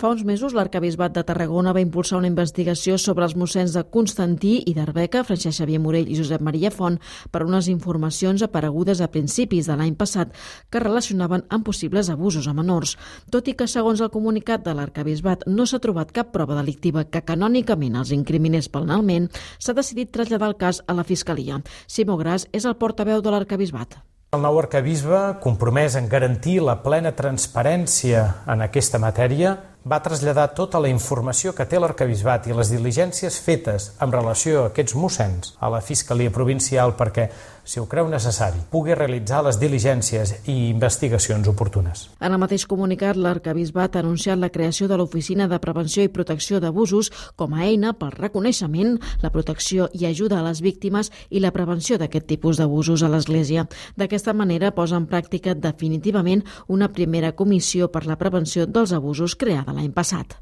Fa uns mesos, l'Arquebisbat de Tarragona va impulsar una investigació sobre els mossens de Constantí i d'Arbeca, Francesc Xavier Morell i Josep Maria Font, per unes informacions aparegudes a principis de l'any passat que relacionaven amb possibles abusos a menors. Tot i que, segons el comunicat de l'Arquebisbat, no s'ha trobat cap prova delictiva que canònicament els incriminés penalment, s'ha decidit traslladar el cas a la Fiscalia. Simó Gras és el portaveu de l'Arquebisbat. El nou arquebisbe, compromès en garantir la plena transparència en aquesta matèria, va traslladar tota la informació que té l'Arquebisbat i les diligències fetes en relació a aquests mossens a la Fiscalia Provincial perquè, si ho creu necessari, pugui realitzar les diligències i investigacions oportunes. En el mateix comunicat, l'Arquebisbat ha anunciat la creació de l'Oficina de Prevenció i Protecció d'Abusos com a eina pel reconeixement, la protecció i ajuda a les víctimes i la prevenció d'aquest tipus d'abusos a l'Església. D'aquesta manera posa en pràctica definitivament una primera comissió per la prevenció dels abusos creada l'any passat.